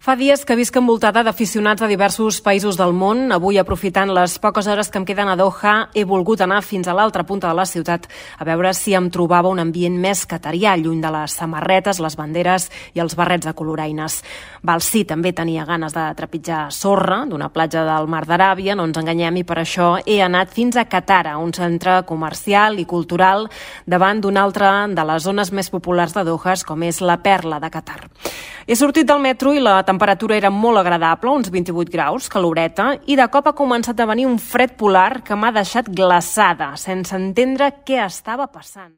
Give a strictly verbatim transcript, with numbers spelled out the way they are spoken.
Fa dies que visc envoltada d'aficionats de diversos països del món. Avui, aprofitant les poques hores que em queden a Doha, he volgut anar fins a l'altra punta de la ciutat a veure si em trobava un ambient més qatarià, lluny de les samarretes, les banderes i els barrets de coloraines. Val, sí, també tenia ganes de trepitjar sorra d'una platja del Mar d'Aràbia, no ens enganyem, i per això he anat fins a Qatar, un centre comercial i cultural davant d'una altra de les zones més populars de Doha, com és la Perla de Qatar. He sortit del metro i la temperatura era molt agradable, uns vint-i-vuit graus, caloreta, i de cop ha començat a venir un fred polar que m'ha deixat glaçada, sense entendre què estava passant.